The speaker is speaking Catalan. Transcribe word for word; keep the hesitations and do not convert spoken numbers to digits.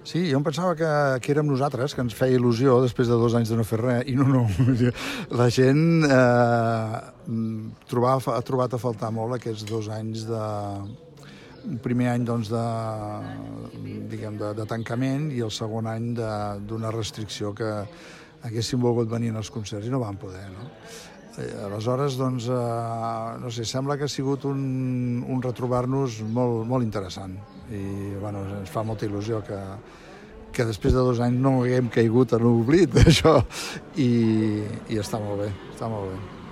Sí, jo em pensava que, que érem nosaltres, que ens feia il·lusió després de dos anys de no fer res, i no, no. La gent eh, trobava, ha trobat a faltar molt aquests dos anys de... Un primer any doncs, de, diguem, de, de tancament i el segon any d'una restricció que haguessin volgut venir als concerts i no van poder, no? Aleshores, doncs, eh, no sé, sembla que ha sigut un, un retrobar-nos molt, molt interessant i bueno, ens fa molta il·lusió que, que després de dos anys no haguem caigut en l'oblit d'això i, i està molt bé, està molt bé.